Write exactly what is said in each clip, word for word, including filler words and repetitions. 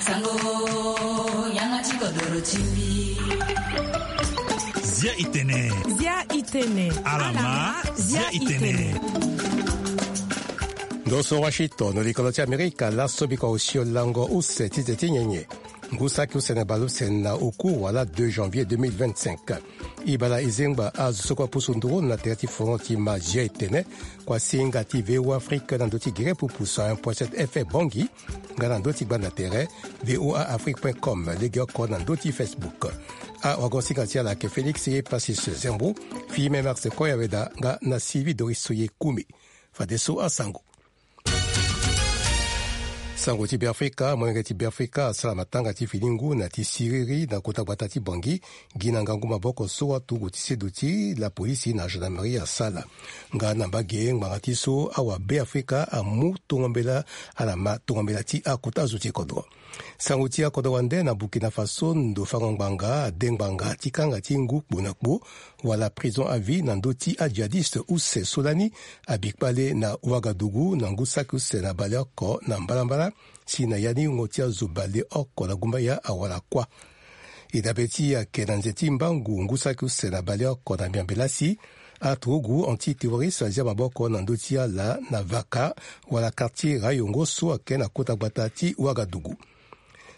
Sango, yanga ti kodoro ti mbi. Zia itene. Zia itene. Alama, zia itene. Ndo so Washington, likolo ti Amerika, laso biko osio lango use ti te ti nyenye. Ngu saki use na baleuse na oku wala deux janvier deux mille vingt-cinq. Ibala izengba azo so kue apusu nduru na tere ti fono ti ma zia itene. Kuasinga ti V O A Afrique na ndo ti gere pupu cent un point sept F M Bangui. Nga na ndo ti gbanda tere V O A Afrique point com, legeoko na ndo ti Facebook. Awagosinga ti ala ayeke Félix Epasis Zembo, Fime Max Koyaweda nga na Sylvie Doris Soye Kumi. Fadeso asango. Sango ti Beafrika, molenge ti Beafrika asara matanga ti fini ngu na ti siriri na kota gbata ti Bangui, gi na ngangu maboko so aturugu ti seduti lapolisi na gendarmerie asala. Nga na mbage ngbanga ti so awa Beafrika amu tongo mbela, ala ma tongo mbela ti akota zo ti kodro. Sango ti akodro wande na Burkina Faso, ndo fango ngbanga ade ngbanga ti kanga ti ngu kpo na kpo wala prison à vie na ndö ti adjihadiste use so lani abi kpale na Ouagadougou na ngu saki use na baleoko na mbalambala, si na ya ni wungo ti azo baleoko na gumbaya awara kuâ. E dabe ti ayeke na nze ti mbangu ngu saki use na baleoko na miambe lasi, aturugu anti-terroriste azia maboko na ndö ti ala na Vaka wala quartier Rayongo so ayeke na kota gbata ti Ouagadougou.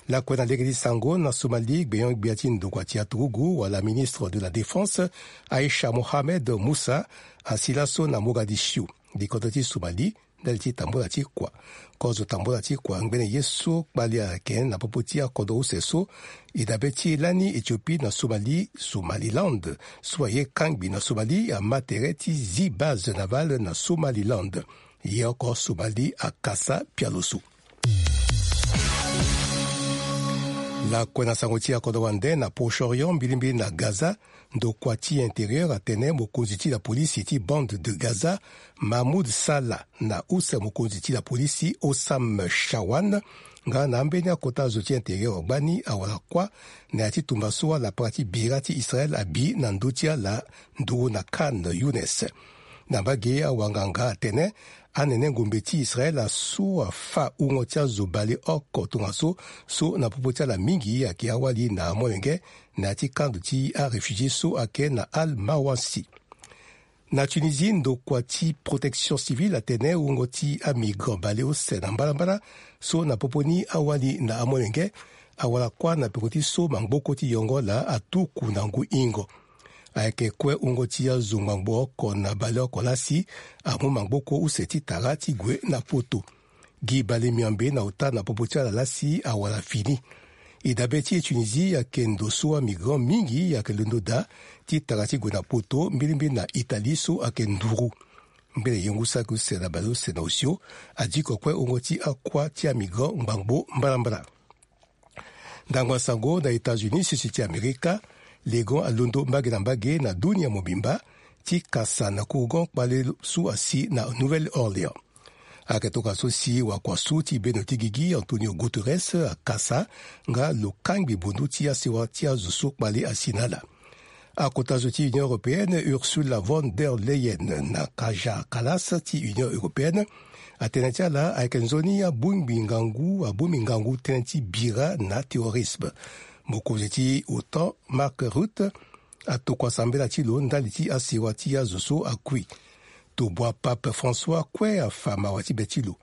Lakue na lege ti sango na Somalie, gbenyo-gbia ti ndokua ti aturugu wala ministre de la Défense, Aisha Mohamed Musa, asi laso na Mogadiscio, likodo ti Somalie, ndali ti tambula ti kua. Kozo tambula ti kua ngbene ye so kpali ayeke na popo ti akodro use so, e dabe ti lani Éthiopie na Somalie, Somaliland, so aye kangbi na Somalie, ama tere ti zi base navale na Somaliland. Ye oko Somalie akasa pialo so. Lakue na sango ti akodro wande na Proche-Orient, mbilimbili na Gaza, ndokua ti intérieur atene mokonzi ti lapolisi ti bande de Gaza, Mahmoud Salah, na use mokonzi ti lapolisi Osam Shawan, nga na ambeni akota zo ti intérieur gbani awara kuâ, na ya ti tumba so alapara ti bira ti Israël abi na ndö ti ala nduru na Khan Younis. Na mbage awanganga atene, anene ngombe ti Israël asu afa wungo ti azo baleoko tongaso, so na popo ti ala mingi ayeke awali na amolenge, na ya ti kando ti aréfugié so ayeke na Al Mawasi. Na Tunisie, ndokua ti protection civile atene wungo ti amigrant baleuse na mbalambala, so na popo ni awali na amolenge, awara kuâ na peko ti so mangboko ti yongo laa atuku na ngu ingo. Ayeke kue wungo ti azo ngbangbo oko na baleoko lasi amu mangboko use ti tara ti gue na poto. Gi bale miambe na ota na popo ti ala lasi awara fini. E dabe ti e Tunisie ayeke ndo so amigrant mingi ayeke londo daa ti tara ti gue na poto, mbilimbili na Italie so ayeke nduru. Ngbene ye ngu saki use na baleuse na osio, adiko kue wungo ti akuâ ti amigrant ngbangbo mbalambala. Ndangba sango na États-Unis, sese ti Amerika, legon alondo mbage na mbage na dunia mobimba ti kasa na kourgon kpale so asi na Nouvelle-Orléans. Ayeke tongaso si wakua so ti bendo ti gigi Antonio Guterres akasa nga lo kangbi bundu ti asewa ti azo so kpale asi na ala. Akota zo ti Union européenne, Ursula von der Leyen na Kaja Kallas ti Union européenne, atene ti ala ayeke nzoni abongbi ngangu, abongbi ngangu tënë ti bira na terrorisme. Mokonzi ti OTAN, Mark Rutte, atokua sambela ti lo ndali ti asewa ti azo so akui. Tobua Pape François kue afa mawa ti be ti lo.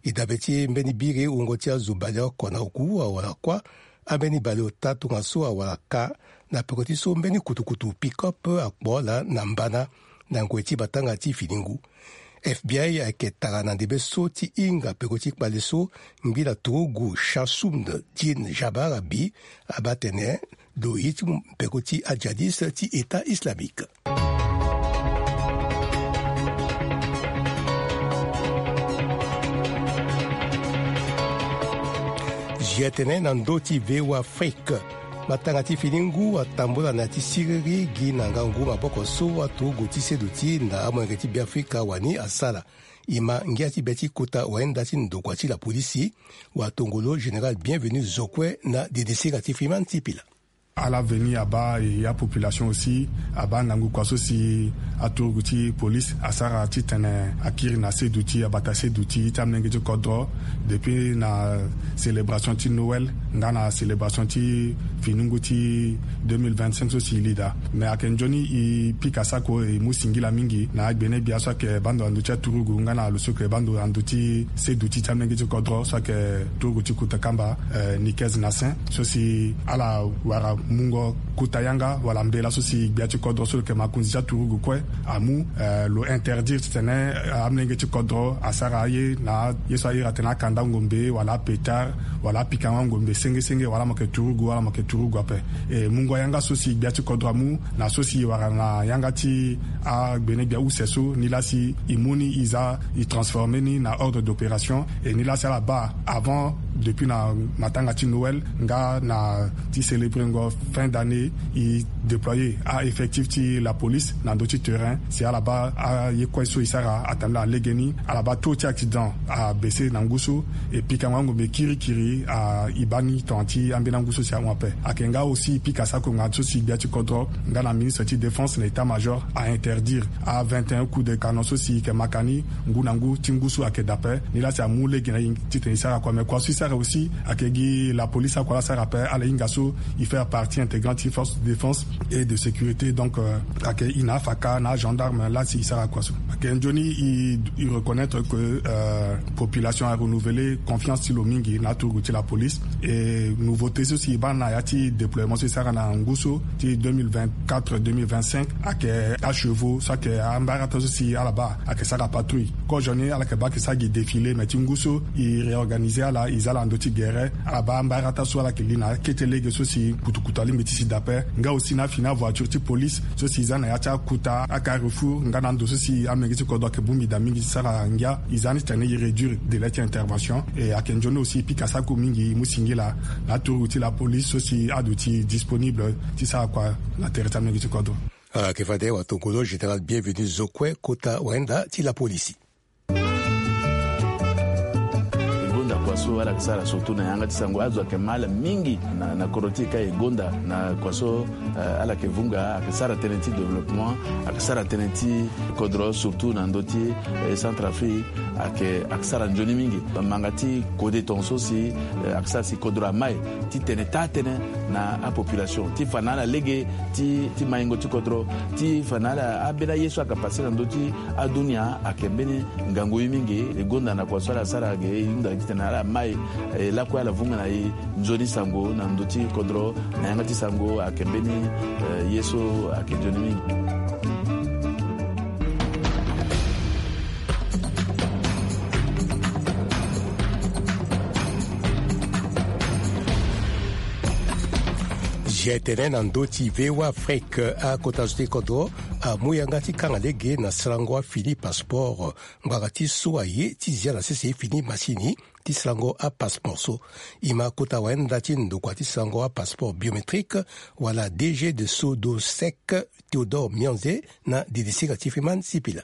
E dabe ti mbeni biri wungo ti azo baleoko na oku awara kuâ, ambeni baleota tongaso awara ka, na peko ti so mbeni kutukutu pick-up akpo ala na mbana, na ngoi ti matanga ti fini ngu. F B I ayeke tara na ndembe so ti hinga peko ti kpale so, ngbila turugu Shasumd Din Jabbar abi, abaa tene, lo ye ti mu peko ti adjihadiste ti État islamique. Zia tene na ndö ti V O A Afrique. Matanga ti fini ngu atambula na ya ti siriri gi na ngangu maboko so aturugu ti seduti na amolenge ti Beafrika wani asara. E ma ngia ti be ti kota wayenda ti ndokua ti lapolisi, watongolo général Bienvenu Zokwe na didisinga ti Freeman Sipila. Ala veni abaa e apopulation aussi abaa ngangu kua so si aturugu ti police asara titene akiri na seduti abata seduti ti amolenge ti kodro depuis na célébration ti Noël nga na célébration ti finungu ti deux mille vingt-cinq so si e li daa. Mais ayeke nzoni e pika sako e mu singila mingi na agbene gbia so ayeke baa ndo na ndö ti aturugu nga na lo so ayeke baa ndo na ndö ti seduti ti amolenge ti kodro so ayeke turugu ti kuta kamba, eh, Nikez Nassin so si ala wara mungo kuta yanga wala mbela so si gbia ti kodro so lo yeke makonzi ti aturugu kue amu, eh, lo interdire titene, eh, amolenge ti kodro asara aye na aye so a iri atene akanda ngombe wala apetard wala apikango angombe senge senge wala mo yeke turugu wala mo yeke turugu ape. E mungo yanga so si gbia ti kodro amu na so si e wara na yanga ti agbene gbia use so, nilaa si e mu ni e za e transformer ni na ordre d'opération. E nilaa si ala baa avant depuis na matanga ti Noël nga na ti célébrengo fin d'année, e déployer a-effectif ti la police na ndö ti terrain si ala baa aye kue so e sara atambula na legeni. Ala baa taux ti accident abaisse na ngu so, e pikango angombe kirikiri a e baa ni tongana ti ambeni angu so si ahon ape. Ayeke nga aussi e pika sako ngangu so si gbia ti kodro nga na ministre ti défense na état-major a interdire a vingt et un coups de canon so si e yeke maka ni ngu na ngu ti ngu so ayeke daa ape. Nilaa si amu lege na e titene e sara kua, mais kua so e sara aussi ayeke gi la police akua laa asara ape. Ala hinga so e faire partie intégrante ti force de défense et de sécurité. Donc, euh, ayeke e na afaka na agendarme laa si e sara kua so. Ayeke nzoni e, e reconnaître que, euh, population a renouveler confiance ti lo mingi na aturugu ti la police. E nouveauté so si e baa na ya ti déploiement so e sara na ngu so ti deux mille vingt-quatre deux mille vingt-cinq ayeke achevaux so ayeke ambarata so si ala baa ayeke sara patrouille. Kozoni ala yeke baa ayeke sara gi défilé, mais ti ngu so e réorganiser ala, e za ala na ndö ti gere. Ala baa ambarata so ala yeke li na akete lege so si kutukutu alingbi ti si daa ape. Nga aussi na afini avoiture ti police so si e za na ya ti akuta, acarrefour nga na ando so si amolenge ti kodro ayeke bongbi daa mingi ti sara ngia, e za ni titene e réduire délai ti intervention. E ayeke nzoni aussi e pika sako mingi e mu singila na aturugu ti la police so si aduti disponible ti sara kua na tere ti amolenge ti kodro. Ayeke fade watokolo général Bienvenu Zokue, kota wayenda ti la police. E gonda kua so ala yeke sara surtout na yanga ti sango. Azo ayeke ma ala mingi na, na kodro ti e ka e gonda na kua so, eh, ala yeke vunga, ayeke sara tënë ti développement, ayeke sara tënë ti kodro surtout na ndö ti, eh, Centrafrique. Ayeke, ayeke sara nzoni mingi. Manga ti kode tongaso si, eh, ayeke sara si kodro amai titene taa tënë na apopulation ti fa na ala lege ti, ti maingo ti kodro, ti fa na ala ambeni aye so ayeke pase na ndö ti adunia. Ayeke mbeni ngangu ye mingi. E gonda na kua so ala sara ge e hunda titene ala mai, e lakue ala vunga na e nzoni sango na ndö ti kodro, na yanga ti sango ayeke mbeni, eh, ye so ayeke nzoni mingi. Zia tene na ndö ti V O A Afrique, akota zo ti kodro amu yanga ti kanga lege na sarango afini passeport. Ngbanga ti so aye ti zia na sese fini masini ti sarango apasseport so. E ma kota wayenda ti ndokua ti sarango apasseport biométrique wala D G de Sodosec, Théodore Mianze, na didisinga ti Freeman Sipila.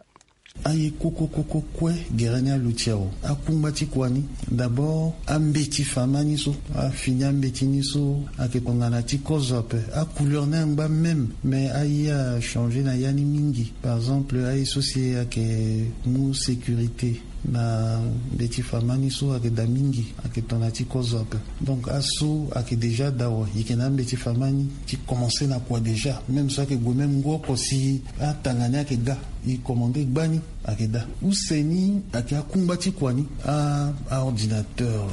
Aye koko koko kue gere ni aluti awe. Akungba ti kua ni, d'abord ambeti fa ma ni so, afini ambeti ni so ayeke tongana ti kozo ape. Acouleur ni angba même, mais aye achangé na ya ni mingi. Par exemple aye so si ayeke mu sécurité na mbeti fa ma ni so ayeke daa mingi, ayeke tongana ti kozo ape. Donc aso ayeke déjà daa awe, e yeke na ambeti fa ma ni ti commencer na kua déjà. Même so ayeke gue même ngu oko si atanga ni ayeke ga, e commandé gbani ayeke daa. Use ni ayeke akungba ti kua ni, a, aordinateur,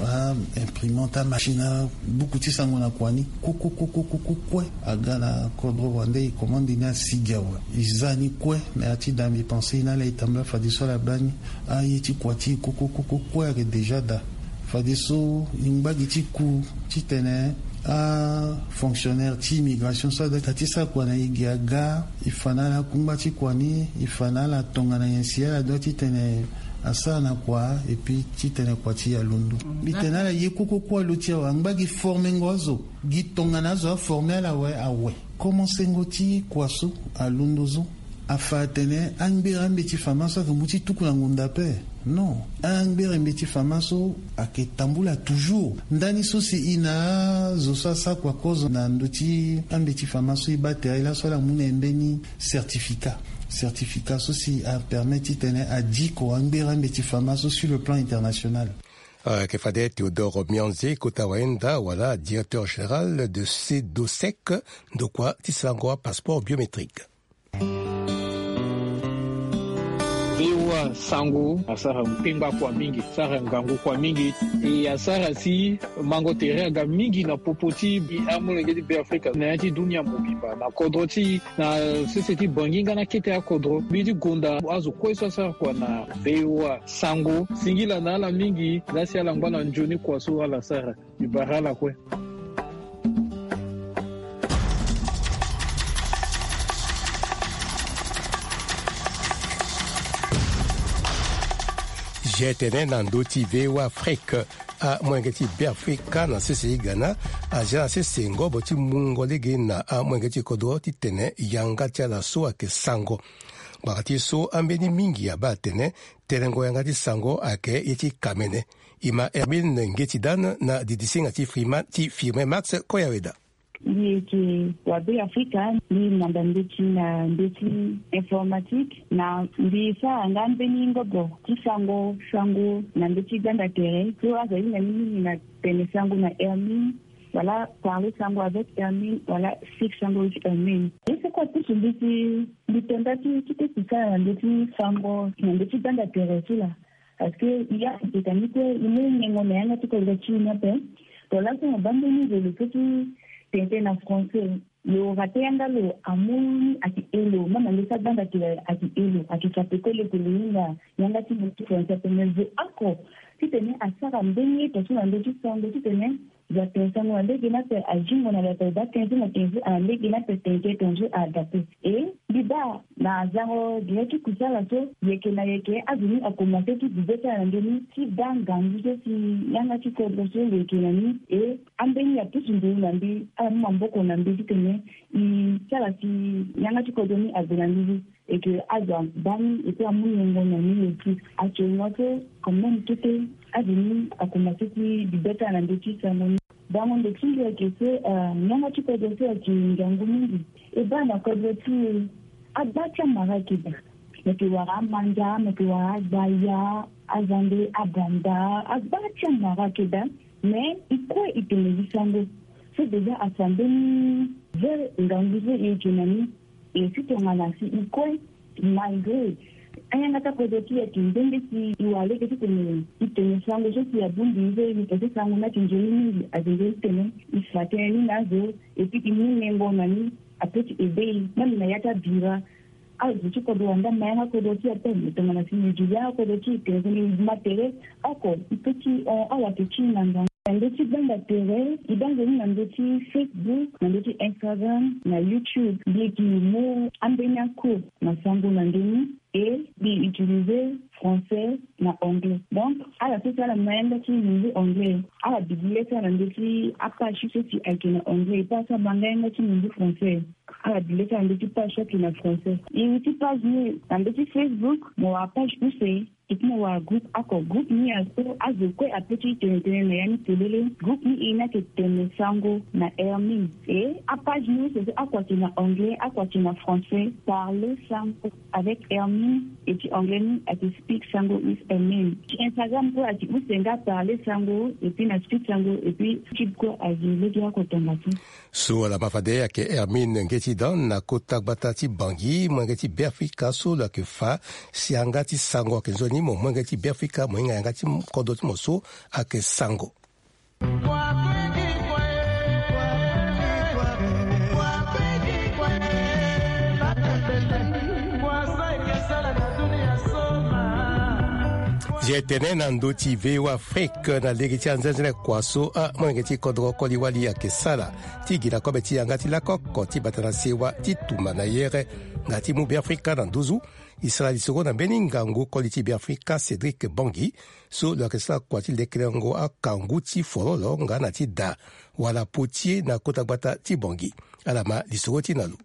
aimprimante, amachine, abuku ti sango na kua ni, koko koko koko kue aga na kodro wande. E commande ni asigi awe, e za ni kue na ya ti daa mbi pensé e na ala e tambula fadeso ala baa ni. Aye ti kua ti e koko koko kue ayeke déjà daa. Fadeso e ngba gi ti ku titene afonctionnaire ti immigration so adoit ti sara kua na e gi aga, e fa na ala akungba ti kua ni, e fa na ala tongana nyen si ala doit titene asara na kua, et puis titene kua ti e alondo. Mbi tene na ala ye koko kue alo ti awe, angba gi formengo azo, gi tongana azo aforme ala awe, awe. Komansengo ti kua so alondo zo. Afa atene angbere ambeti fama so ayeke mu ti tuku na ngonda ape. Non, angbere mbeti fama so ayeke tambula toujours. Ndani so si e na azo so asara kua kozo na ndö ti ambeti fama so e baa tere laso, ala mu na e mbeni certificat. Certificat so si apermet titene adiko angbere ambeti fama so sur le plan international. Ayeke fade Théodore Mianze, kota wayenda wala directeur général de cedosec, ndokua ti sarango apasseport biométrique. Vewa sango asara mpengba kua mingi, asara ngangu kua mingi. E asara si mango tere aga mingi na popo ti amolenge ti Beafrika na ya ti dunia mobimba na kodro ti na sese ti bangi nga na kete akodro. Mbi ti gonda azo kue so asara kua na vewa sango, singila na ala mingi. Laa si ala ngba na nzoni kua so ala sara. Mbi bara ala kue. Ge tene na ndö ti vewa afrique, amolenge ti Beafrika na sese ti Ghana azia na sese ngobo ti mungo lege na amolenge ti kodro titene yanga ti ala so ayeke sango. Gbara ti so ambeni mingi abaa atene telengo yanga ti sango ayeke ye ti kamene. E ma Hermine Ngeti Dan na didisinga ti Firmin Max Koyaweda. Mbi yeke wa Beafrika, mbi manda ndeti na ndö ti informatique, na mbi sara nga mbeni ngobo ti sango sango na ndö ti gbanda tere so azo ahinga ni mingi na tene sango na Hermine, wala parler sango avec Hermine, wala speak sango with Hermine. Ye so kue apusu mbi ti mbi tonda ti kite kusala na ndö ti sango na ndö ti gbanda tere ti laa. Parce que ya, e tene kue e mu nyengo na yanga ti kodro ti e ni ape. Tongana laso mo baa mbeni zo lo so ti tene tënë na français, lo rate yanga lo amu ni ayeke e lo, même na ndö ti agbanda ti lo ayeke e lo, ayeke fa peko lo yeke lo hinga yanga ti lo ti français ape. Me zo oko titene asara mbeni ye tongaso na ndö ti sango titene Za tene sango na lege ni ape, azingo na lo ape, baa tënë so na tënë so na lege ni ape, tënë tënë so ada ape. E mbi baa na zango direct ti kusala so, yeke na yeke azo ni akomanse ti bibe ti ala na ndö ni ti baa ngangu so si yanga ti kodro so lo yeke na ni. E ambeni apusu nduru na mbi, ala mu maboko na mbi titene e sara si yanga ti kodro ni ague na mbi. Eke azo abaa ni, eke amu niongo na ni lo ti. Actuellement so, quand même, kete azo ni akomanse ti bibe ti ala na ndö ti sango ni. Bango ndo ti mbi ayeke so, ah, niongo ti kodro so ayeke ngangu mingi. E baa na kodro ti e, agba ti amara ayeke daa. Mo yeke wara amanda, mo yeke wara agbaya, azande, abanda, agba ti amara ayeke daa. Mais e kue e tene gi sango. So déjà afa mbeni ve ngangu so e yeke na ni. E si tongana si e kue, malgré ayanga ti akodro ti e ayeke nde nde si e wara lege titene e tene sango so si abongbi e so e pese sango ni ayeke nzoni mingi, ayeke nzoni titene e fa tënë ni na azo, et puis e mu nyengo na ni, ape ti aidé e, même na ya ti abira. Azo ti kodro wanda ma yanga kodro ti e ape, me tongana si e zo yanga kodro ti e tene tënë e ma tere, oko e pe ti hon awato ti e na ngangu. Na ndö ti gbanda tere, e baa nzoni na ndö ti Facebook, na ndö ti Instagram, na YouTube. Mbi yeke mu ambeni acours na sango na ndö ni, e mbi utiliser français na anglais. Donc ala so si ala ma yanga ti lingbi anglais, ala duti le ti ala na ndö ti apage so si ayeke na anglais, e pe ala so abaa nga yanga ti lingbi français, ala duti le ti ala na ndö ti page so ayeke na français. E ti page ni na ndö ti Facebook, mo wara page use. E ti mo wara groupe oko, groupe ni azo, azo kue ape ti tene tënë na ya ni polele. Groupe ni e ni ayeke tene sango na Hermine. E apage ni use so oko ayeke na anglais, oko ayeke na français. Parler sango avec Hermine, e ti anglais ni ayeke speak sango with Hermine. Ti Instagram kue ayeke use nga parler sango, et puis na speak sango, et puis YouTube kue azi lege oko tongana ti. So ala ma fade ayeke Hermine Ngeti Dan na kota gbata ti Bangui, molenge ti Beafrika so lo yeke fa si yanga ti sango ayeke nzoni mo, molenge ti Beafrika mo hinga yanga ti kodro ti mo so ayeke sango. Ye tene na ndö ti V O A Afrique na lege ti anzenze kua so amolenge ti kodro koli wali ayeke sara ti gi na kobe ti yanga ti lako oko ti bata na sewa ti tumba na yere nga ti mu Beafrika na nduzu. E sara lisoro na mbeni ngangu koli ti Beafrika Cédric Bangui so lo yeke sara kua ti lekerengo akangu ti fololo nga na ti da wala potier na kota gbata ti Bangui. Ala ma lisoro ti na lo.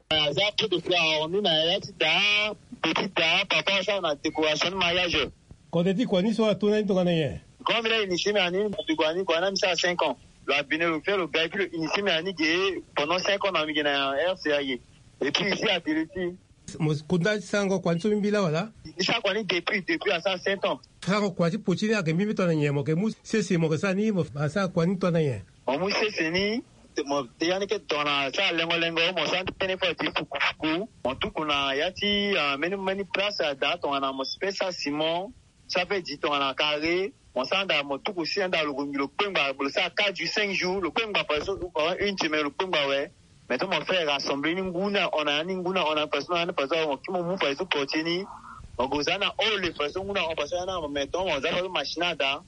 Aza peu de fleur ni na ya ti daa, petit daa, papa asara na décoration ni mariage. Kode ti kua ni so ato na ni tongana nyen? Grand mi la initié mi ani, mo bi kua ni, kua na mi sara cinq ans. Lo abine lo fia lo ga et puis lo initié mi ani ge pendant cinq ans na mi ge na R C A ye. Et puis ici à Télé ti mo kunda ti sarango kua ni so mbi laa wala? Mbi sara kua ni depuis, depuis asara sept ans. Sarango kua ti poti ni ayeke mbi mbi tongana nyen? Mo yeke mu sese mo yeke sara ni, mo asara kua ni tongana nyen? Mo mu sese ni, mo te yani ke tongana sara lengo lengo, mo sara tënë fo ti fuku fuku. Mo tuku na ya ti, ah, mbeni mbeni place ada tongana mo si pe sara ciment. Sa pe di tongana carré, mo sara nda mo tuku si nda lo gongi lo kpengba, lo sara quatre jours, cinq jours, lo kpengba, par exemple, pendant une semaine, lo kpengba awe. Maintenant, mo fait rassembler ni ngu na hon na ya ni ngu na hon na personne, na personne, mo kiri mo mu fadeso portier ni. Mo gue za na hall fadeso ngu na hon, parce que na mo, maintenant, mo za fadeso machine ada.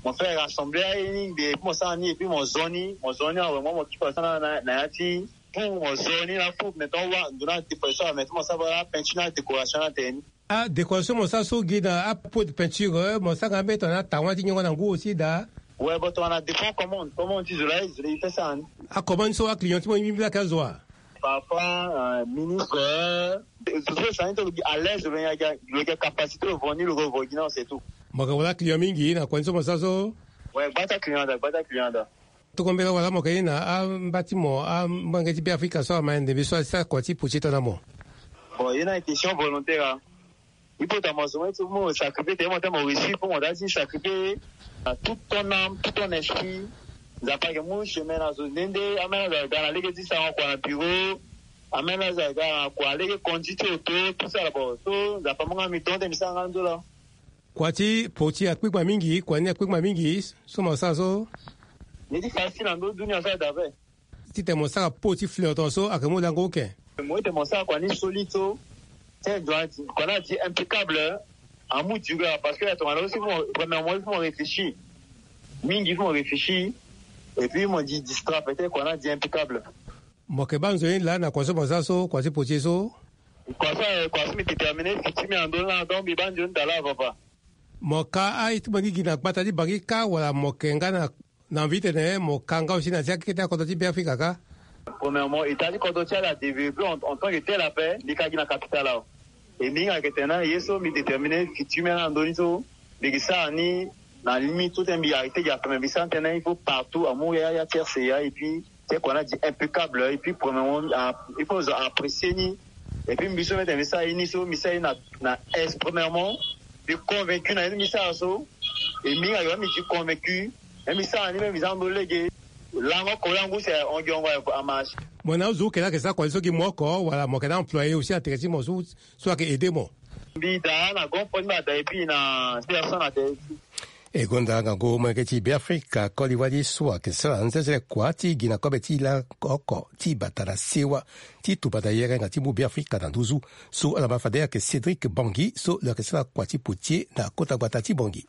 Mo fait rassembler aye ni, et puis mo sara ni, et puis mo zo ni, mo zo ni awe, mo, mo kiri fadeso na, na, na ya ti. Pour mo zo ni na fou, maintenant, wa, ndo na ti fadeso, maintenant, mo sara peinture na décoration na tene ni. Ah, décoration mo sara so gi na apot peinture, eh, mo sara nga mbeni tongana atawan ti nyongo na ngu aussi daa. Ouais, bon, tongana dépend commande, commande ti zo la, zo la, il fait ça, hein. Acommande so aclient ti mo mbi mbi lake azo wa? Parfois, euh, ministre, euh, zo so sani ti lo gi à l'aise, lo yeke, lo yeke capacité lo vo ni, lo vo gi na, c'est tout. Mo yeke wara client mingi na kua ni so mo sara so? Ouais, gbata client ada, gbata client ada. Tokombela wala mo yeke ni na amba ti mo, amolenge ti Beafrika so ama ndembe so asara kua ti poti tongana mo? Bon, ye na question volontaire, hein. Il faut ta mo zo mo sacrifier, tene mo ta mo réussir, faut mo ta ti sacrifier, euh, toute ton âme, tout ton esprit. Nzapa ayeke mu chemin na zo nde nde, ameni azo aga na lege ti sarango kua na bureau, ameni azo aga na kua lege conduit ti auto, tout ça là, bon, so Nzapa amu nga mi tonte mi sara nga nzola. Kua ti poti akpikpa mingi, kua ni akpikpa mingi so mo sara so? Ni ti facile na ndö dunia so ada ape. Titene mo sara pot ti fleur tongaso ayeke mu lango oke. Mo ete mo sara kua ni solide so. Tene kua ni adi impeccable. Amu duré parce que tongana aussi, premièrement, il faut mo réfléchir. Mingi il faut mo réfléchir. Et puis mo di distra peut-être kua ni adi impeccable. Mo yeke baa nzoni laa na kua so mo sara so, kua ti poti so? Kua so, eh, kua so mbi déterminer futur mbi na ndö ni laa, donc mbi baa nzoni daa laa, papa. Mo ka aye ti mo ni gi na gbata ti Bangui kâ wala mo yeke nga na, na envie titene mo ka nga aussi na ya ti akete akodro ti Beafrika kâ? Premièrement, état ti kodro ti ala adéveloppé en, en tant que tel ape, mbi ka gi na capitale awe. E mbi hinga yeke tene na ye so mbi déterminer futur mbi na ndö ni so, mbi yeke sara ni na limite so tene mbi arrêté gi ape, mais mbi sara ni tënë, il faut partout amu ya, ya ti R C A, et puis ti kua ni adi impeccable, et puis premièrement, ah, il faut zo apprécier ni. Et puis mbi so mbi tene mbi sara ye ni so, mbi sara ye na, na aise, premièrement, mbi convaincu na ye ni mbi sara so. E mbi hinga yo mbi di convaincu. E mbi sara ni, mbi za ndo lege. Lango oko lango use, ongi ongo amarche. Mo na azo oke laa ayeke sara kua ni so gi mo oko wala mo yeke na employé aussi na tere ti mo so, so ayeke aider mo? Mbi daa na grand frère ti mbi ada et puis na personne na tere ti. E gonda ngangu molenge ti Beafrika koli wali so ayeke sara nzenzele kua ti gi na kobe ti la oko ti bata na sewa ti tuba na yere nga ti mu Beafrika na nduzu. So ala ma fade ayeke Cédric Bangui so lo yeke sara kua ti potier na kota gbata ti Bangui.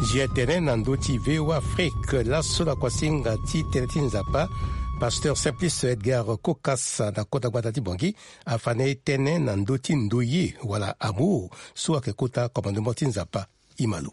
Nzia tene na ndö ti V O A Afrique laso na kuasinga ti tënë ti Nzapa, pasteur Simplice Edgar Kokasa na kota gbata ti Bangui afa na e tënë na ndö ti ndoye wala amour so ayeke kota commandement ti Nzapa. Imalo.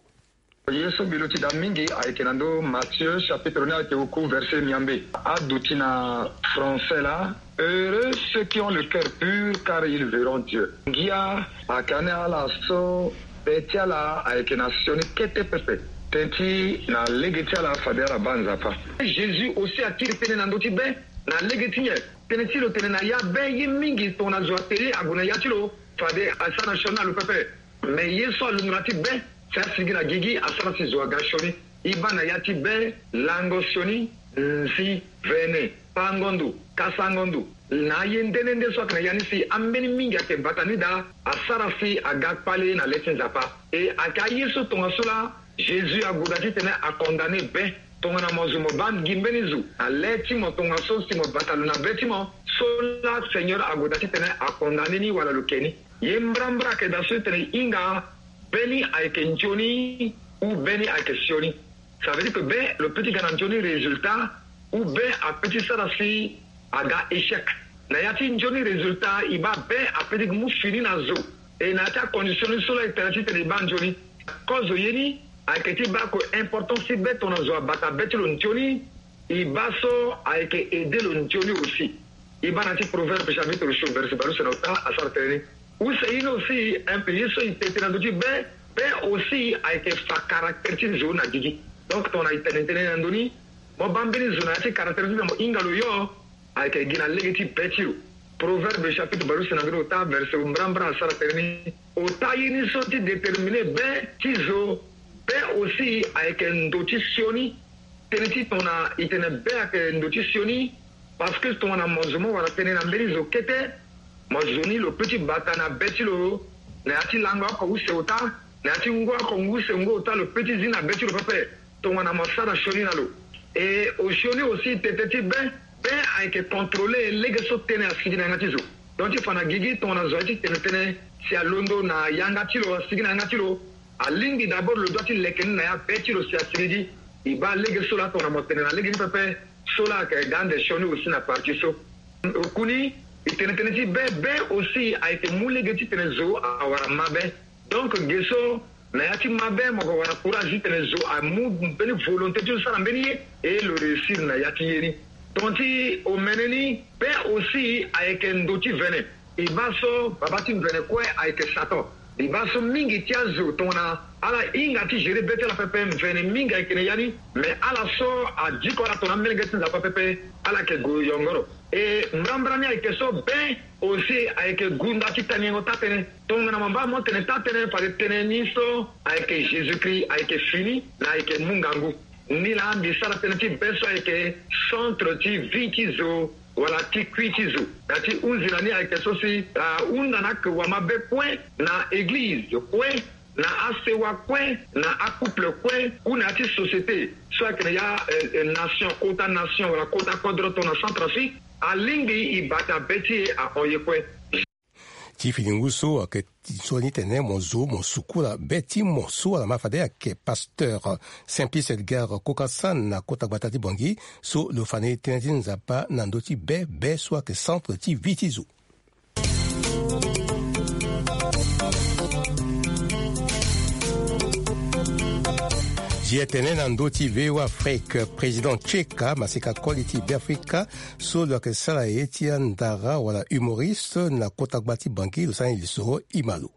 Ye so mbi luti daa mingi ayeke na ndö Matthieu chapitre ni ayeke oku verset miambe. Aduti na français laa: Heureux ceux qui ont le cœur pur, car ils verront Dieu. Ngia ayeke ane ala so be ti ala ayeke na sioni kete pepe. Tënë ti na lege ti ala fade ala baa Nzapa. Jésus aussi akiri tënë na ndö ti be na lege ti nyen? Tënë ti lo tene na ya be ye mingi tongana zo atene ague na ya ti lo fade asara na sioni na lo pepe. Me ye so alunga na ya ti be si asigi na gigi asara si zo aga sioni. E baa na ya ti be lango sioni, nzi, vene, pango ndo, kasango ndo. Na aye nde nde nde so ayeke na ya ni si ambeni mingi ayeke bata ni daa asara si aga kpale na le ti Nzapa. E ayeke aye so tongaso laa Jésus ague daa titene acondamné be. Tongana mo zo mo baa gi mbeni zo na le ti mo tongaso si mo bata lo na be ti mo, so laa Seigneur ague daa titene acondamné ni wala lo ke ni. Ye mbrambra ayeke daa so titene e hinga be ni ayeke nzoni ou be ni ayeke sioni. Ça veut dire que be lo peut ti ga na nzoni résultat ou be apeut ti sara si aga échec. Na ya ti nzoni résultat e baa be apeut ti mu fini na zo. E na ya ti acondition ni so laa e tene titene e baa nzoni. Kozo ye ni ayeke ti baa ko importance ti be tongana zo abata be ti lo nzoni. E baa so ayeke aide lo nzoni aussi. E baa na ya ti Proverbe chapitre so verset baleuse na ota asara tënë ni. Use ye ni aussi un peu ye so e tene tënë na ndö ti be. Be aussi ayeke fa caractère ti zo na gigi. Donc tongana e tene tënë na ndö ni, mo baa mbeni zo na ya ti caractère ti titene mo hinga lo yo. Ayeke gi na lege ti be ti lo. Proverbe chapitre baleuse na mbeni ota verset mbrambra asara tënë ni. Ota ye ni so ti déterminer be ti zo. Be aussi ayeke ndo ti sioni. Tënë ti tongana e tene be ayeke ndo ti sioni. Parce que tongana mo zo mo wara tënë na mbeni zo kete, mo zo ni lo peut ti bata na be ti lo na ya ti lango oko use ota, na ya ti ngu oko ngu use ngu ota, lo peut ti zi na be ti lo pepe. Tongana mo sara sioni na lo. E osioni aussi tete ti be. Be ayeke contrôler lege so tënë asigi na yanga ti zo. Donc ti fa na gigi tongana zo aye ti tene tënë, si alondo na yanga ti lo, asigi na yanga ti lo, alingbi d'abord lo doit ti leke ni na ya be ti lo si asigi gi. E baa lege so laa tongana mo tene na lege ni pepe. So laa ayeke ga ande sioni aussi na partie so. Oku ni, e tene tënë ti be. Be aussi ayeke mu lege titene zo awara mabe. Donc ge so na ya ti mabe mo ko wara courage titene zo amu mbeni volonté ti lo sara mbeni ye, e lo réussir na ya ti ye ni. Ton ti omene ni, be aussi ayeke ndo ti vene. E baa so baba ti mvene kue ayeke Satan. E baa so mingi ti azo tongana ala hinga ti gérer be ti ala pepe, mvene mingi ayeke na ya ni. Mais ala so adiko ala tongana amolenge ti Nzapa pepe, ala yeke gue yongoro. E mbrambra ni ayeke so be aussi ayeke gunda ti taniengo taa-tënë. Tongana mo baa mo tene taa-tënë, fade tënë ni so ayeke Jésus-Christ ayeke fini na ayeke mu ngangu. Ni laa mbi sara tënë ti be so ayeke centre ti vie ti zo wala ti kui ti zo. Na ya ti hunzi na ni ayeke so si ahunda na ake wamabe kue na église kue, na asewa kue, na acouple kue, ou na ya ti société so ayeke na ya, eh, eh, nation, kota nation wala kota kodro tongana Centrafrique. Alingbi e bata be ti e ahon ye kue. Ti fini ngu so ayeke ti so ni tene mo zo mo sukula be ti mo so ala ma fade ayeke pasteur Simplice Edgar Kokasan na kota gbata ti Bangui, so lo fa ni tënë ti Nzapa na ndö ti be, be so ayeke centre ti vie ti zo. Zi etene na ndö ti V O A Afrique, président Tcheka maseka koli ti Beafrika so lo yeke sara ye ti andara wala humoriste na kota gba ti Bangui lo sara ni lisoro. Ima lo.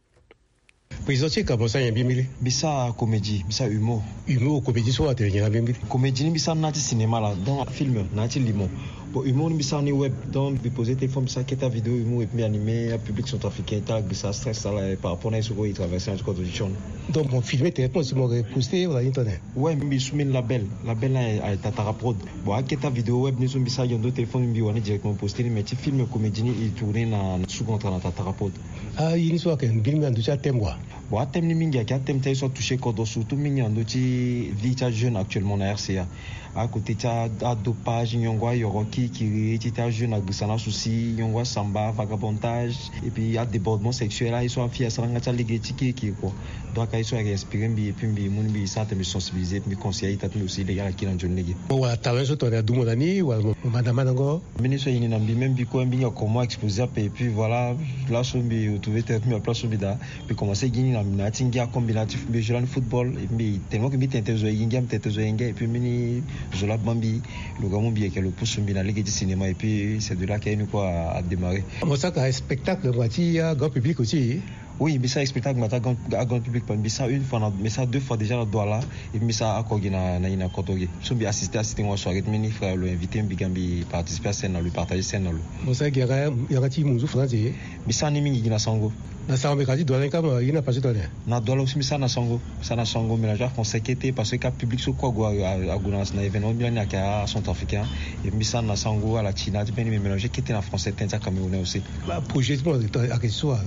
Président Tcheka, mo sara nyen mbi mbili? Mbi sara comédie, mbi sara humour. Humour, comédie so atene nyen na mbi mbili? Comédie ni mbi sara na ti cinéma la, donc film na ti limo. Bon, humour ni mbi sara ni web, donc mbi poser téléphone, mbi sara kete avidéo humour et puis mbi animer apublic centrafricain ti ala gbisa stress ti ala par rapport na ye so kue e traverser na ti kodro ti sioni. Donc mo filmer directement si mo yeke poster wala ni tene? Ouais, mbi su mbeni label, label ni aye, aye Tatara Prod. Bon, akete avidéo web ni so mbi sara gi na ndo téléphone, mbi wara ni directement poster ni, mais ti film comédie ni e tourner na sous contrat na Tatara Prod. Ah, ye ni so ayeke mbeni na ndö ti athème wa? Bon, athème ni mingi ayeke athème ti aye so atoucher kodro, surtout mingi na ndö ti vie ti ajeune actuellement na R C A. Akote ti a, adopage, nyongo ayoro kirikiri, ti ti ajeune agbisa na asouci, nyongo asamba, vagabondage, et puis adébordement sexuel, aye so afille asara nga ti alege ti kirikiri kua. Donc aye so ayeke inspiré mbi, et puis mbi mu ni mbi sara tene mbi sensibiliser, et puis mbi conseiller aita ti mbi aussi lege ala kiri na nzoni lege. Mo wara talent so tongana adumo na ni wala mo manda mandango? Mbeni so aye ni na mbi, même mbi kue mbi hinga comment exposer ape, et puis voilà, laso mbi retrouver tene mbi na place so mbi daa. Mbi commencé gi ni na, na ya ti ngia comme mbi na ya ti mbi joue lani football, et mbi tellement que mbi tene tene zo aye gi ngia, mbi tene tene zo aye ngia, et puis mbeni zo laa baa mbi, lo ga mu mbi yeke lo pusu mbi na lege ti cinéma, et puis c'est de là que ni kue a, a démarré. Mo saka spectacle ngbanga ti grand public aussi? Oui, mbi sara spectacle ngbanga ti grand, grand public, mbi sara une fois na, mbi sara deux fois déjà na Douala, et mbi sara oko gi na, na, na Kotoge. So mbi assisté, assisté ngo soirée ti mbeni frère lo invité mbi ga mbi participer à scène na lo, partager scène na lo. Mo sara gi yanga, yanga ti munzu français? Mbi sara ni mingi gi na Sango. Na Sango mbi ka ti Douala ni kâ, ma ye ni apassé tongana nyen? Na Douala aussi mbi sara na Sango. Mbi sara na Sango, mélange français kete, parce que ka public so kue ague, a, ague na, na événement mbi lani ayeke acentrafricain. Et mbi sara na Sango, ala ti na ti mbeni, mbi mélange kete na français, tënë ti acamerounais aussi. Ba projet ti mo ayeke so wa?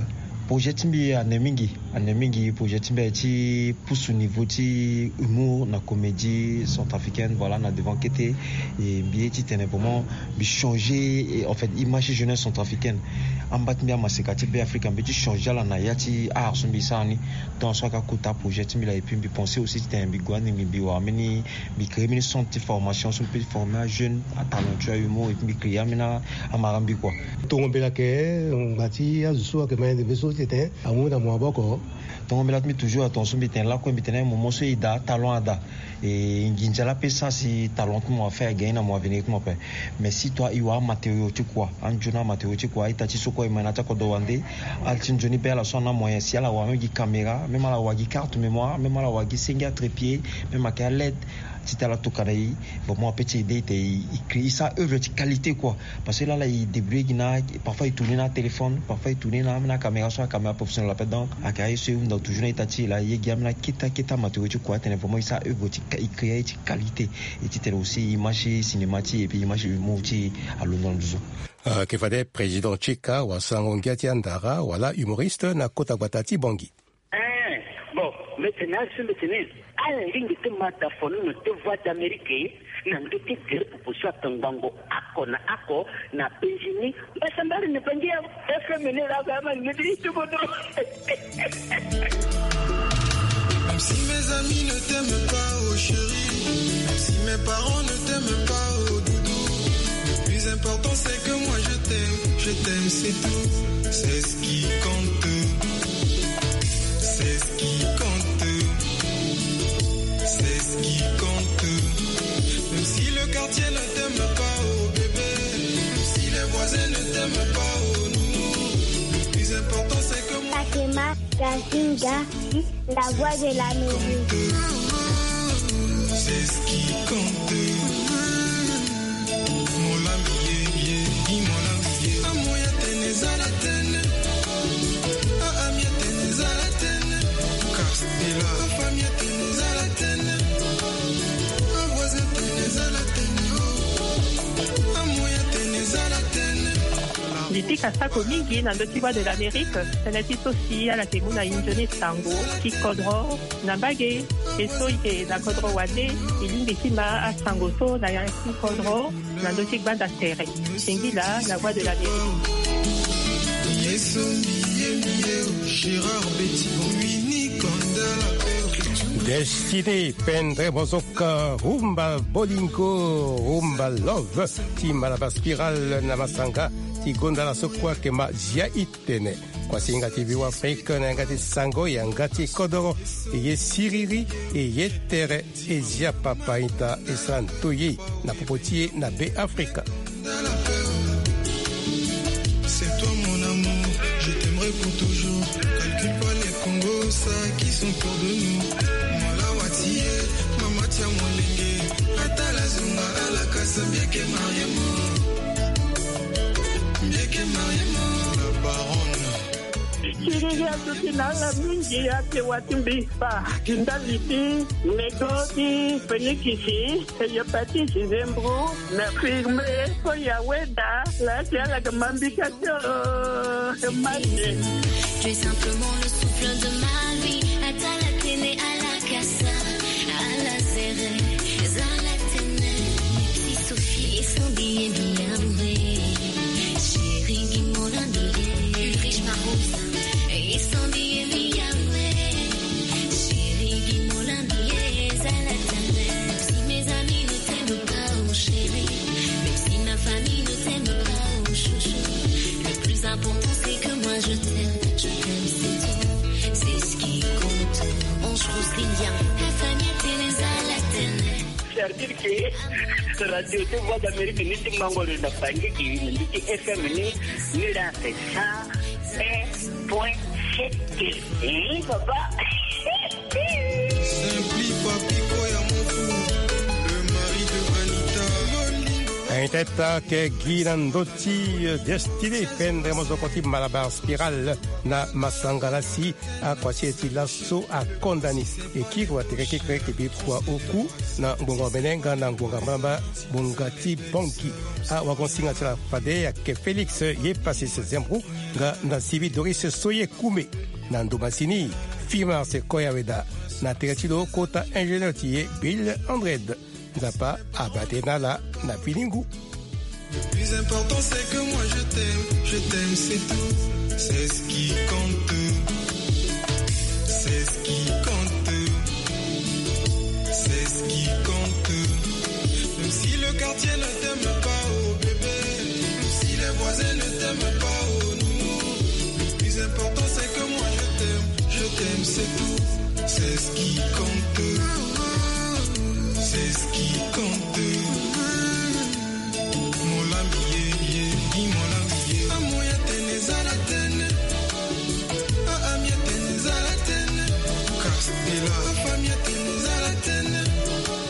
Projet ti mbi ane mingi, ane mingi. Projet ti mbi aye ti pusu niveau ti humour na comédie centrafricaine, voilà, na devant kete. Et mbi ye ti tene vraiment mbi changer, et en fait, image ti jeunesse centrafricaine. Amba ti mbi amaseka ti Beafrika, mbi ye ti changer ala na ya ti art so mbi sara ni. Tongana so ayeke akota projet ti mbi laa, et puis mbi pensé aussi ti tene mbi gue ande mbi, mbi wara mbeni, mbi créer mbeni centre ti formation so mbi peut ti former ajeune, atalentueux, ahumour, et puis mbi créer ambeni amara mbi kua. Tongo mbela ayeke ngbanga ti azo so ayeke ma yende mbe so Tete amu na mo aboko. Tongo mbi lati mbi toujours atonso mbi tene lakue mbi tene mo mo so e da talon ada. E nginza la pe sa si talon ti mo afa e again na mo avenir ti mo ape. Mais si toi e wara amaterio ti kua anzoni amaterio ti kua ita ti so kue e ma na ti akodro wande. Ala ti nzoni be ala so ana moyen si ala wara même gi caméra même ala wara gi carte mémoire même ala wara gi senge atrépied même ayeke aled. Ti tala tokana e. Vraiment ape ti ede ete e crée e sa œuvre ti qualité kua. Parce que lala e débrouiller gi na parfois e tourner na téléphone parfois e tourner na même na caméra so acaméra professionnel ape donc ayeke aye so e hunda toujours na ita ti e laa e ye gi amena keta keta matériaux ti kua atene vraiment e sa œuvre ti e crée aye ti qualité. E ti tene aussi image ti cinéma ti e et puis image ti humour ti e alondo na nduzu. Ayeke fade président Tchika wasango ngia ti andara wala humoriste na kota gbata ti Bangui. Bon, mbi tene azo mbi tene ala lingbi ti ma da fonono ti Voix d'Amérique na ndö ti gere popo so atongbango oko na oko na Benjini. Mbasambari ni bangi ya F M ni la ba ma ni ti bodo. Même si mes amis ne t'aiment pas, oh chérie, même si mes parents ne t'aiment pas, oh doudou, le plus important c'est que moi je t'aime, je t'aime, c'est tout. C'est ce qui compte. C'est ce qui compte. C'est ce qui compte. Même si le quartier ne t'aime pas, oh bébé, même si les voisins ne t'aiment pas, oh nounou, le plus important c'est que moi Fatima Kazinga, la voix de la musique. C'est ce qui compte. Mbi pika sako mingi na ndö ti Voix de l'Amérique, tënë ti so si ala yeke mu na e nzoni sango ti kodro na mbage. E so e yeke na kodro wande e lingbi ti ma asango so na ya ti kodro na ndö ti gbanda tere. Singila, la voix de l'Amérique. Destiné, pendre mozoka, rumba bolingo, rumba love ti Malabar Spiral na masanga ti gonda na so kue ayeke ma zia e tene. Kua si yanga ti Viva Afrique na yanga ti sango yanga ti kodoro, e ye siriri, e ye tere, e zia papa ita, e sara ndoye na popo ti e na Be Afrika. C'est toi mon amour, je t'aimerai pour toujours. Calcule pas les Congo, ça qui sont pour de nous. Mon lawa ti e, mama ti amolenge. Atala zunga ala kasa mbieke mariemo. Mbieke mariemo. La baronne. Siriri aduti na ala mingi ake wati mbi fa. Ndali ti nego ti fenikisi, hepatite, zembro, na firme, so ya weda, la ti ala ga mambika tio, mande. Tu es simplement le souffle de ma vie. Atala tene ala kasa, ala zere, zala tene. Sophie, et son billet bien. Chérie, dis-moi la billet. Ulrich Marosa, et son billet bien. Chérie, dis-moi la billet, zala tene. Si mes amis ne t'aiment pas, oh chérie, même si ma famille ne t'aime pas, oh chouchou, le plus important c'est que moi je t'aime, je t'aime, c'est tout, c'est ce qui compte. On se rousse les liens, la famille, t'es les à la tene. C'est-à-dire que radio ti Voix d'Amérique ni ti mango lo na bangi ki ni ti F M ni, ni la c'est ça, un point sept. Eh, papa. Simpli Papi Koya Mofu, le mari de Anita. Anita ta ke gi na ndö ti, euh, Destiné, pendre mozoko ti Malabar Spiral na masanga la si akua si e ti laso akonda ni. E kiri watere kekere ke bi kua oku na ngbonga omene nga na ngbonga mbamba ngbonga ti Bangui. Awagon-singa ti ala fade ayeke Félix Yepasis Zembrou nga na Sylvie Doris Soye Koumé. Na ndo masini, Fimar Sequoia Weda. Na tere ti lo kota ingénieur ti e Bill Andred. Nzapa abaa tënë na ala na fini ngu. Le plus important c'est que moi je t'aime, je t'aime, c'est tout. C'est ce qui compte. C'est ce qui compte. C'est ce qui compte. Même si le quartier ne t'aime pas, oh bébé, même si les voisins ne t'aiment pas, oh nounou, le plus important c'est C'est tout, c'est ce qui compte. C'est ce qui compte.